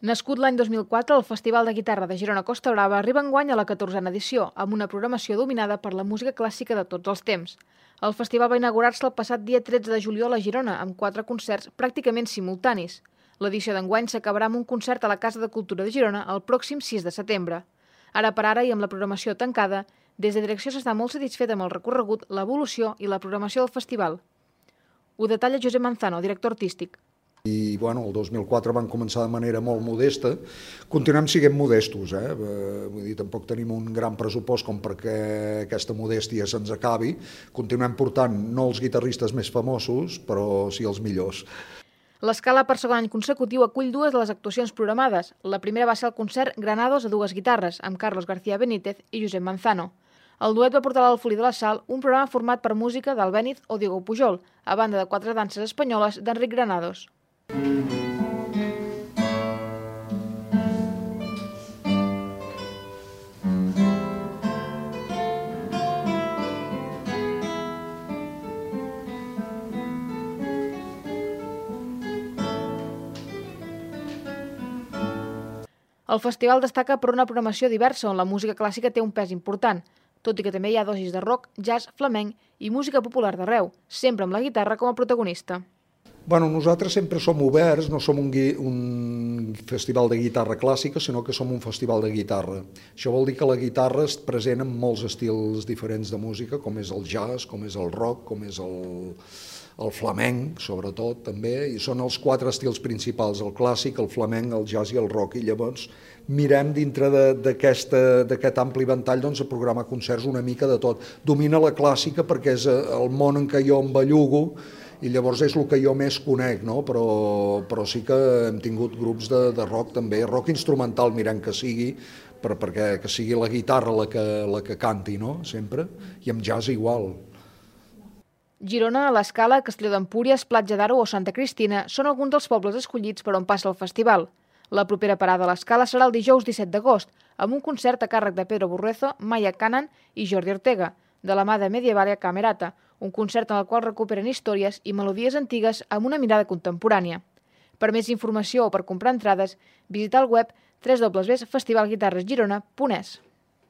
Nascut l'any 2004, el Festival de Guitarra de Girona Costa Brava arriba enguany a la 14a edició, amb una programació dominada per la música clàssica de tots els temps. El festival va inaugurar-se el passat dia 13 de juliol a Girona, amb 4 concerts pràcticament simultanis. L'edició d'enguany s'acabarà amb un concert a la Casa de Cultura de Girona el pròxim 6 de setembre. Ara per ara, i amb la programació tancada, des de direcció s'està molt satisfet amb el recorregut, l'evolució i la programació del festival. Ho detalla Josep Manzano, director artístic. I el 2004 van començar de manera molt modesta, continuem sent modestos, vull dir, tampoc tenim un gran pressupost com perquè aquesta modèstia se'ns acabi, continuem portant no els guitarristes més famosos, però sí els millors. L'Escala per segon any consecutiu acull 2 de les actuacions programades. La primera va ser el concert Granados a 2 guitarres, amb Carlos García Benítez i Josep Manzano. El duet va portar a l'Alfolí de la Sal un programa format per música d'Albéniz o Diego Pujol, a banda de 4 danses espanyoles d'Enric Granados. El festival destaca per una programació diversa on la música clàssica té un pes important, tot i que també hi ha dosis de rock, jazz, flamenc i música popular d'arreu, sempre amb la guitarra com a protagonista. Nosaltres sempre som oberts, no som un festival de guitarra clàssica, sinó que som un festival de guitarra. Això vol dir que la guitarra és present en molts estils diferents de música, com és el jazz, com és el rock, com és el flamenc, sobretot, també, i són els 4 estils principals, el clàssic, el flamenc, el jazz i el rock, i llavors mirem dintre d'aquest ampli ventall a programar concerts una mica de tot. Domina la clàssica perquè és el món en què jo em bellugo, i llavors és el que jo més conec, no? Però sí que hem tingut grups de rock també, rock instrumental mirem que sigui, perquè que sigui la guitarra la que canti, no? Sempre, i amb jazz igual. Girona, l'Escala, Castelló d'Empúries, Platja d'Aro o Santa Cristina són alguns dels pobles escollits per on passa el festival. La propera parada a l'Escala serà el dijous 17 d'agost, amb un concert a càrrec de Pedro Burruezo, Maya Canan i Jordi Ortega, de la mà de Medievalia Camerata, un concert en el qual recuperen històries i melodies antigues amb una mirada contemporània. Per més informació o per comprar entrades, visita el web www.festivalguitarresgirona.es.